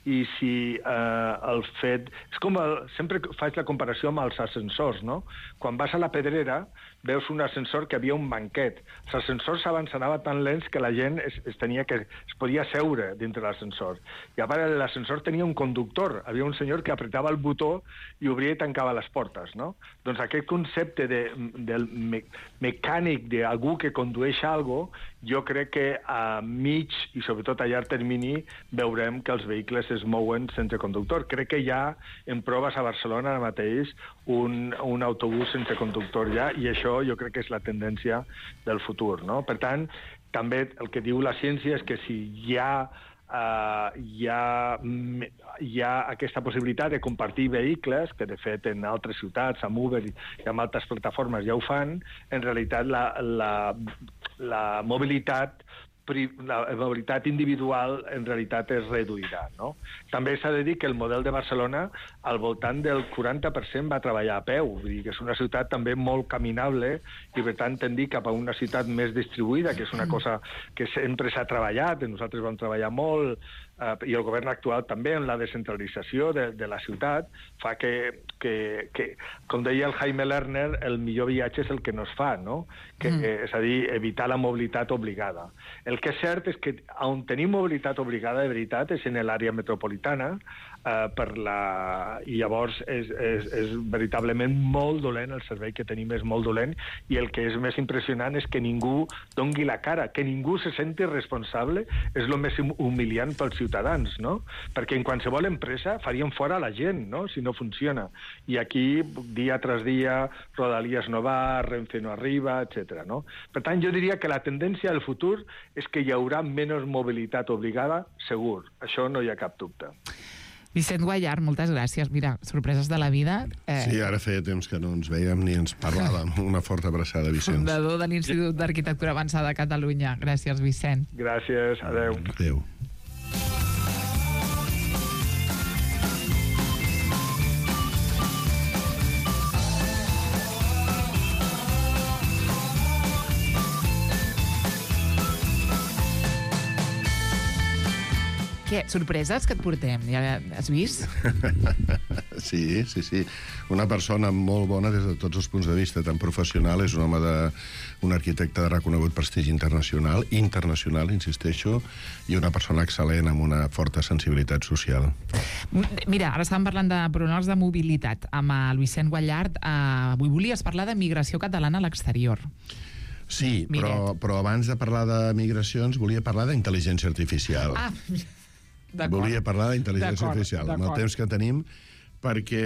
i si eh, el fet... És com el, sempre faig la comparació amb els ascensors, no? Quan vas a la Pedrera veus un ascensor que havia un banquet. Els ascensors abans anava tan lents que la gent es, es, tenia que, es podia seure dintre l'ascensor. I a part l'ascensor tenia un conductor. Havia un senyor que apretava el botó i obria i tancava les portes, no? Doncs aquest concepte de, del me, mecànic d'algú que condueix algo, jo crec que a mig i sobretot a llarg termini veurem que els vehicles es mouen sense conductor. Crec que hi ha en proves a Barcelona ara mateix un, un autobús sense conductor ja, i això jo crec que és la tendència del futur, no? Per tant, també el que diu la ciència és que si hi ha, uh, hi ha, hi ha aquesta possibilitat de compartir vehicles, que de fet en altres ciutats, amb Uber i amb altres plataformes ja ho fan, en realitat la, la, la mobilitat la mobilitat individual en realitat es reduirà, no? També s'ha de dir que el model de Barcelona al voltant del quaranta per cent va treballar a peu, vull dir que és una ciutat també molt caminable i per tant tendir cap a una ciutat més distribuïda, que és una cosa que sempre s'ha treballat, nosaltres vam treballar molt eh, i el govern actual també en la descentralització de, de la ciutat fa que, que, que, com deia el Jaime Lerner, el millor viatge és el que no es fa, no? Que, mm. És a dir, evitar la mobilitat obligada. El El que és cert és que on tenim mobilitat obligada de veritat és en l'àrea metropolitana, eh, per la... i llavors és, és, és veritablement molt dolent, el servei que tenim és molt dolent, i el que és més impressionant és que ningú dongui la cara, que ningú se senti responsable, és el més humiliant pels ciutadans, no? Perquè en qualsevol empresa farien fora la gent, no?, si no funciona. I aquí, dia tras dia, Rodalies no va, Renfe no arriba, etcètera, no? Per tant, jo diria que la tendència del futur és que hi haurà menys mobilitat obligada, segur. Això no hi ha cap dubte. Vicent Guallart, moltes gràcies. Mira, sorpreses de la vida. Eh... Sí, ara feia temps que no ens veiem ni ens parlàvem. Una forta abraçada, Vicenç. Fundador de l'Institut d'Arquitectura Avançada de Catalunya. Gràcies, Vicent. Gràcies, adeu. Adeu. Què, sorpreses que et portem? Ja has vist? Sí, sí, sí. Una persona molt bona des de tots els punts de vista, tan professional, és un home de... un arquitecte de reconegut prestigi internacional, internacional, insisteixo, i una persona excel·lent amb una forta sensibilitat social. Mira, ara estàvem parlant de pronoms de mobilitat amb el Vicent Guallart. Uh, avui volies parlar de migració catalana a l'exterior. Sí, però, però abans de parlar de migracions volia parlar d'intel·ligència artificial. Ah, volia parlar d'intel·ligència artificial, amb el temps que tenim, perquè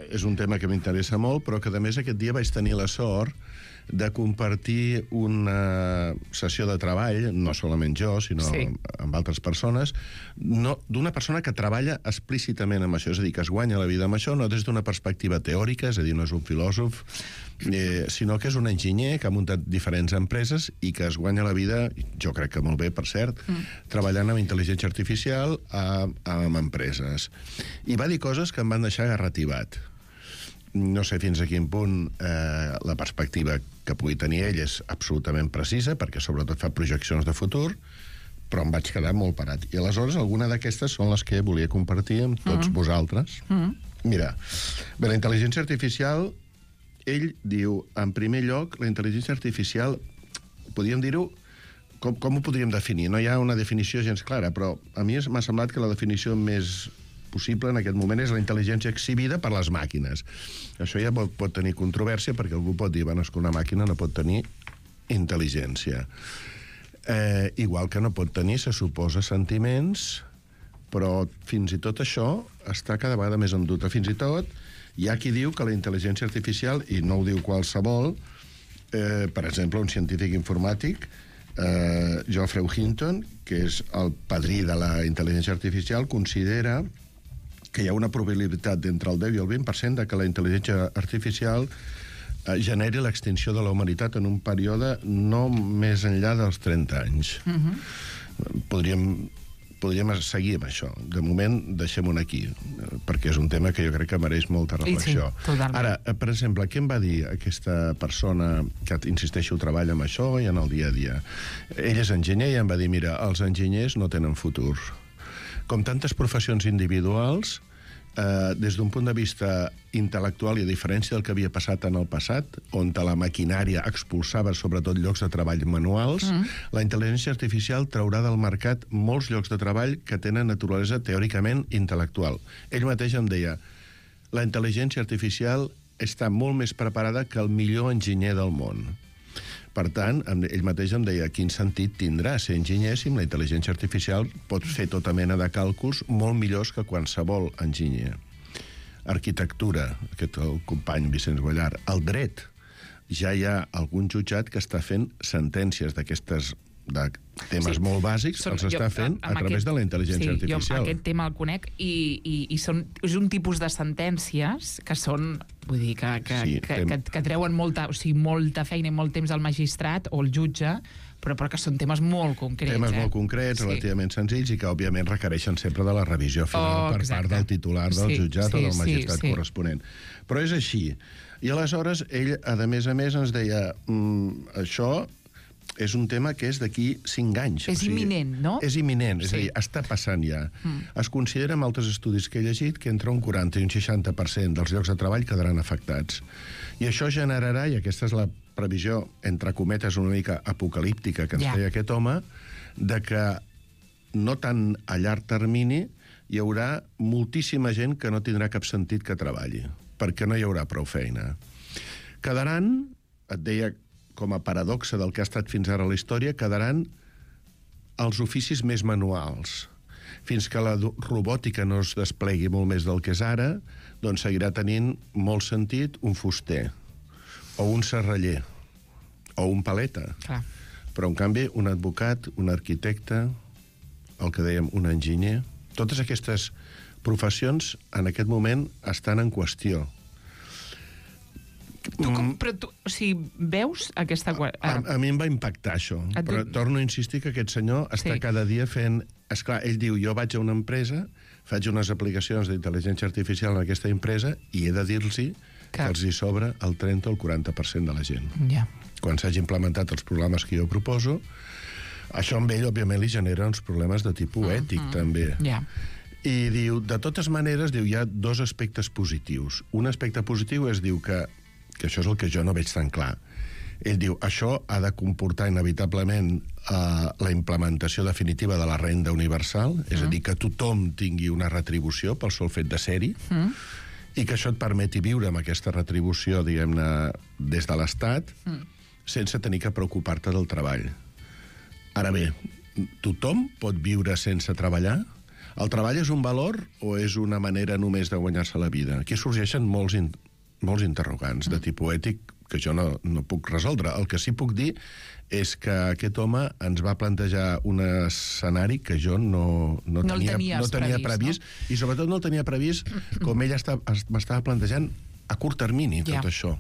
és un tema que m'interessa molt, però que a més aquest dia vaig tenir la sort de compartir una sessió de treball, no solament jo, sinó sí. amb altres persones, no, d'una persona que treballa explícitament amb això, és a dir, que es guanya la vida amb això, no des d'una perspectiva teòrica, és a dir, no és un filòsof, eh, sinó que és un enginyer que ha muntat diferents empreses i que es guanya la vida, jo crec que molt bé, per cert, mm. treballant amb intel·ligència artificial a, amb empreses. I va dir coses que em van deixar garrativat. No sé fins a quin punt eh, la perspectiva que pugui tenir ell és absolutament precisa, perquè sobretot fa projeccions de futur, però em vaig quedar molt parat. I aleshores alguna d'aquestes són les que volia compartir amb tots mm. vosaltres. Mm. Mira, bé, la intel·ligència artificial, ell diu, en primer lloc, la intel·ligència artificial, podríem dir-ho, com, com ho podríem definir? No hi ha una definició gens clara, però a mi m'ha semblat que la definició més possible en aquest moment és la intel·ligència exhibida per les màquines. Això ja pot, pot tenir controvèrsia, perquè algú pot dir, bueno, és que una màquina no pot tenir intel·ligència. Eh, igual que no pot tenir, se suposa, sentiments, però fins i tot això està cada vegada més en dubte. Fins i tot hi ha qui diu que la intel·ligència artificial, i no ho diu qualsevol, eh, per exemple, un científic informàtic, eh, Geoffrey Hinton, que és el padrí de la intel·ligència artificial, considera que hi ha una probabilitat d'entre el deu i el vint per cent de que la intel·ligència artificial eh, generi l'extinció de la humanitat en un període no més enllà dels trenta anys. Uh-huh. Podríem, podríem seguir amb això. De moment, deixem-ho aquí, perquè és un tema que jo crec que mereix molta reflexió. Sí, Ara, per exemple, què em va dir aquesta persona que, insisteixo, treballa amb això i en el dia a dia? Ell és enginyer i em va dir, mira, els enginyers no tenen futur. Com tantes professions individuals, eh, des d'un punt de vista intel·lectual i a diferència del que havia passat en el passat, on la maquinària expulsava sobretot llocs de treball manuals, mm. la intel·ligència artificial traurà del mercat molts llocs de treball que tenen naturalesa teòricament intel·lectual. Ell mateix em deia, la intel·ligència artificial està molt més preparada que el millor enginyer del món. Per tant, ell mateix em deia quin sentit tindrà ser enginyer si amb la intel·ligència artificial pot fer tota mena de càlculs molt millors que qualsevol enginyer. Arquitectura, aquest el company Vicenç Guallart. El dret. Ja hi ha algun jutjat que està fent sentències d'aquestes de temes sí. molt bàsics, són, els està jo, fent a través aquest, de la intel·ligència sí, artificial. Jo aquest tema el conec i, i, i són, és un tipus de sentències que són, vull dir, que, que, sí, que, tem... que, que treuen molta, o sigui, molta feina i molt temps al magistrat o al jutge, però, però que són temes molt concrets. Temes eh? molt concrets, sí. relativament senzills i que, òbviament, requereixen sempre de la revisió final oh, per exacte. part del titular del sí, jutjat sí, o del magistrat sí, sí. corresponent. Però és així. I aleshores, ell, a més a més, ens deia mm, això és un tema que és d'aquí cinc anys. És o sigui, imminent, no? És imminent, és sí. a dir, està passant ja. Mm. Es considera en altres estudis que he llegit que entre un quaranta i un seixanta per cent dels llocs de treball quedaran afectats. I això generarà, i aquesta és la previsió, entre cometes, una mica apocalíptica que ens yeah. feia aquest home, de que no tant a llarg termini hi haurà moltíssima gent que no tindrà cap sentit que treballi, perquè no hi haurà prou feina. Quedaran, et deia com a paradoxa del que ha estat fins ara la història, quedaran els oficis més manuals. Fins que la robòtica no es desplegui molt més del que és ara, doncs seguirà tenint molt sentit un fuster, o un serraller, o un paleta. Clar. Però, en canvi, un advocat, un arquitecte, el que dèiem, un enginyer... Totes aquestes professions, en aquest moment, estan en qüestió. Tu com, però tu, o sigui, veus aquesta... A, a mi em va impactar això, Et però dic- torno a insistir que aquest senyor està Sí. cada dia fent... Esclar, ell diu, jo vaig a una empresa, faig unes aplicacions d'intel·ligència artificial en aquesta empresa i he de dir-los que, Que- els hi sobra el trenta o el quaranta per cent de la gent. Ja. Quan s'hagi implementat els programes que jo proposo, això amb ell, òbviament, li genera uns problemes de tipus Mm, ètic, mm. també. Ja. I diu, de totes maneres, diu, hi ha dos aspectes positius. Un aspecte positiu és, diu, que, que això és el que jo no veig tan clar. Ell diu, això ha de comportar inevitablement eh, la implementació definitiva de la renda universal, és a dir, que tothom tingui una retribució pel sol fet de ser-hi, Mm. i que això et permeti viure amb aquesta retribució, diguem-ne, des de l'Estat, Mm. sense tenir que preocupar-te del treball. Ara bé, tothom pot viure sense treballar? El treball és un valor o és una manera només de guanyar-se la vida? Aquí sorgeixen molts, in, molts interrogants de tipus ètic que jo no, no puc resoldre. El que sí puc dir és que aquest home ens va plantejar un escenari que jo no, no, No el tenia, tenies no tenia previst, previst, no? I sobretot no el tenia previst com ell està, es- m'estava plantejant a curt termini, tot Ja. això.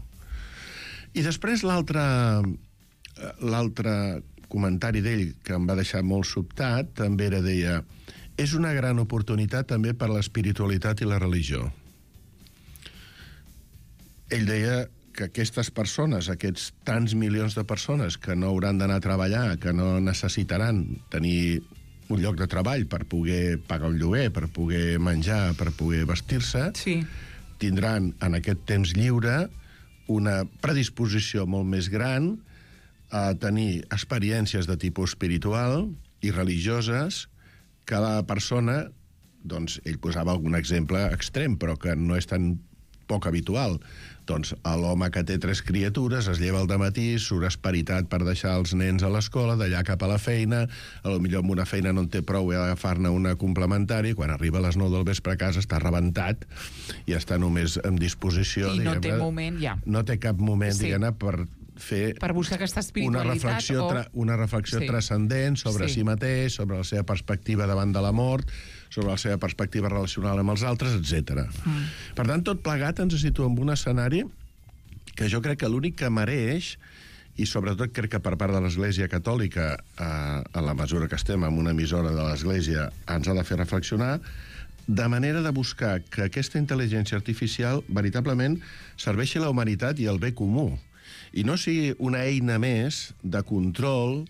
I després l'altre l'altre comentari d'ell que em va deixar molt sobtat també era, deia, és una gran oportunitat també per l'espiritualitat i la religió. Ell deia que aquestes persones, aquests tants milions de persones que no hauran d'anar a treballar, que no necessitaran tenir un lloc de treball per poder pagar un lloguer, per poder menjar, per poder vestir-se, Sí. tindran en aquest temps lliure una predisposició molt més gran a tenir experiències de tipus espiritual i religioses que la persona, doncs, ell posava algun exemple extrem, però que no és tan poc habitual. Doncs l'home que té tres criatures es lleva al dematí, surt esperitat per deixar els nens a l'escola, d'allà cap a la feina, a lo millor amb una feina no en té prou i ha d'agafar-ne una complementària, quan arriba a les nou del vespre a casa està rebentat i està només en disposició... I no té diguem-ne, moment, ja. No té cap moment, Sí. diguem-ne, per fer Per buscar aquesta una espiritualitat reflexió, o... tra una reflexió Sí. transcendent sobre Sí. si mateix, sobre la seva perspectiva davant de la mort, sobre la seva perspectiva relacional amb els altres, etcètera. Mm. Per tant, tot plegat ens situa en un escenari que jo crec que l'únic que mereix, i sobretot crec que per part de l'Església Catòlica, eh, a la mesura que estem en una emissora de l'Església, ens ha de fer reflexionar, de manera de buscar que aquesta intel·ligència artificial veritablement serveixi a la humanitat i al bé comú, i no sigui una eina més de control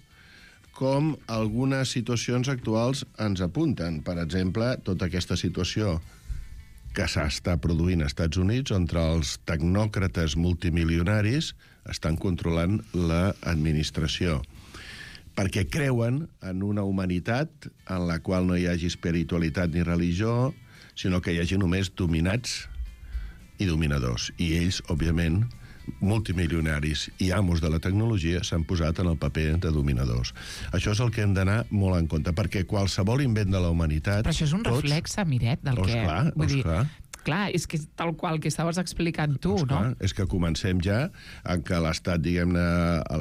com algunes situacions actuals ens apunten. Per exemple, tota aquesta situació que s'està produint als Estats Units, on els tecnòcrates multimilionaris estan controlant l'administració, perquè creuen en una humanitat en la qual no hi hagi espiritualitat ni religió, sinó que hi hagi només dominats i dominadors. I ells, òbviament, multimilionaris i amos de la tecnologia, s'han posat en el paper de dominadors. Això és el que hem d'anar molt en compte, perquè qualsevol invent de la humanitat... Però això és un tots... reflex, Miret, del Oh, que... esclar, vull oh, dir, esclar. clar, és que és tal qual que estaves explicant tu, Pues clar, no? és que comencem ja en què l'estat, diguem-ne,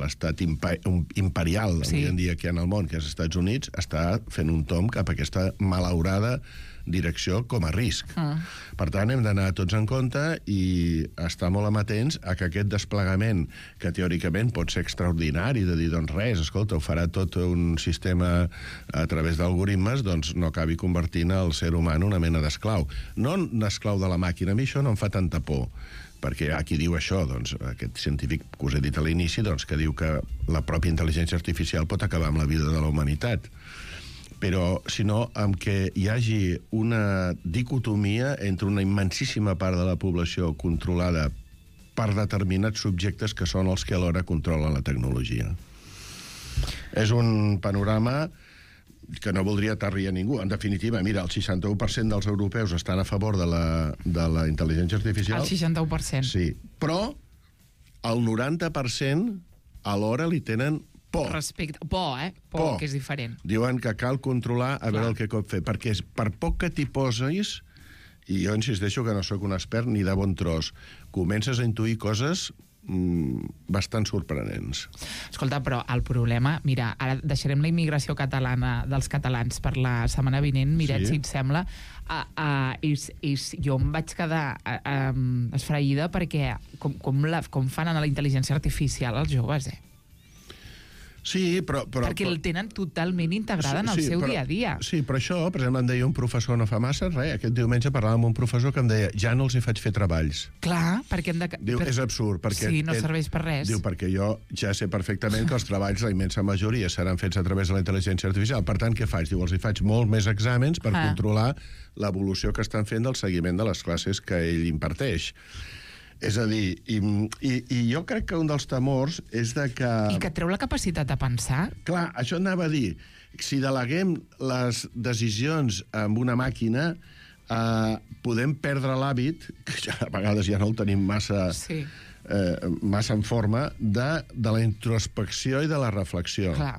l'estat impa imperial Sí. avui en dia que hi ha en el món, que és els Estats Units, està fent un tomb cap a aquesta malaurada direcció com a risc. Mm. Per tant, hem d'anar tots en compte i estar molt amatents a que aquest desplegament, que teòricament pot ser extraordinari, de dir, doncs res, escolta, ho farà tot un sistema a través d'algoritmes, doncs no acabi convertint el ser humà en una mena d'esclau. No un esclau de la màquina, a mi això no em fa tanta por, perquè hi ha qui diu això, doncs, aquest científic que us he dit a l'inici, doncs, que diu que la pròpia intel·ligència artificial pot acabar amb la vida de la humanitat. Però, sinó, amb que hi hagi una dicotomia entre una immensíssima part de la població controlada per determinats subjectes que són els que alhora controlen la tecnologia. És un panorama que no voldria aterrir a ningú. En definitiva, mira, el seixanta-u per cent dels europeus estan a favor de la, de la intel·ligència artificial. El seixanta-u per cent. Sí, però el noranta per cent alhora li tenen por. Respecte, por, eh? Por, por, que és diferent. Diuen que cal controlar a veure Clar. el que pot fer, perquè és, per poc que t'hi posis, i jo insisteixo que no sóc un expert ni de bon tros, comences a intuir coses bastant sorprenents. Escolta, però el problema... Mira, ara deixarem la immigració catalana dels catalans per la setmana vinent, Miret, sí. si et sembla. Uh, uh, és, és, jo em vaig quedar uh, um, esfraïda perquè com, com, la, com fan a la intel·ligència artificial els joves, eh? Sí, però... però perquè el tenen totalment integrada sí, en el sí, seu però, dia a dia. Sí, però això, per exemple, em deia un professor no fa massa, res, aquest diumenge parlava amb un professor que em deia ja no els hi faig fer treballs. Clar, perquè hem de... Diu, per... és absurd, perquè... Sí, no ell, serveix per res. Diu, perquè jo ja sé perfectament que els treballs, la immensa majoria, seran fets a través de la intel·ligència artificial. Per tant, què faig? Diu, els hi faig molt més exàmens per ah. controlar l'evolució que estan fent del seguiment de les classes que ell imparteix. És a dir, i, i, i jo crec que un dels temors és de que... I que treu la capacitat de pensar. Clar, això anava a dir, si deleguem les decisions amb una màquina, eh, podem perdre l'hàbit, que ja, a vegades ja no el tenim massa, sí. eh, massa en forma, de, de la introspecció i de la reflexió. Clar.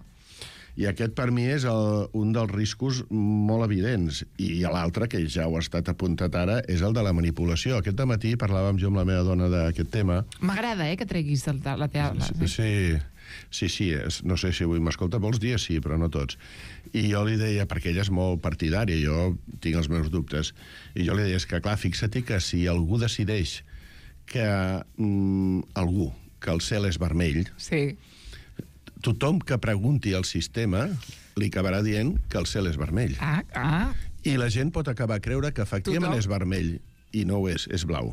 I aquest, per mi, és el, un dels riscos molt evidents. I l'altre, que ja ho ha estat apuntat ara, és el de la manipulació. Aquest dematí parlàvem jo amb la meva dona d'aquest tema. M'agrada, eh, que treguis el, la teva... Sí, sí, sí, sí és, no sé si avui m'escolta, molts dies sí, però no tots. I jo li deia, perquè ella és molt partidària, jo tinc els meus dubtes, i jo li deia, és que clar, fixa-t'hi que si algú decideix que mm, algú, que el cel és vermell... Sí. Tothom que pregunti al sistema li acabarà dient que el cel és vermell. Ah, ah. I la gent pot acabar a creure que efectivament Tothom. és vermell, i no ho és, és blau.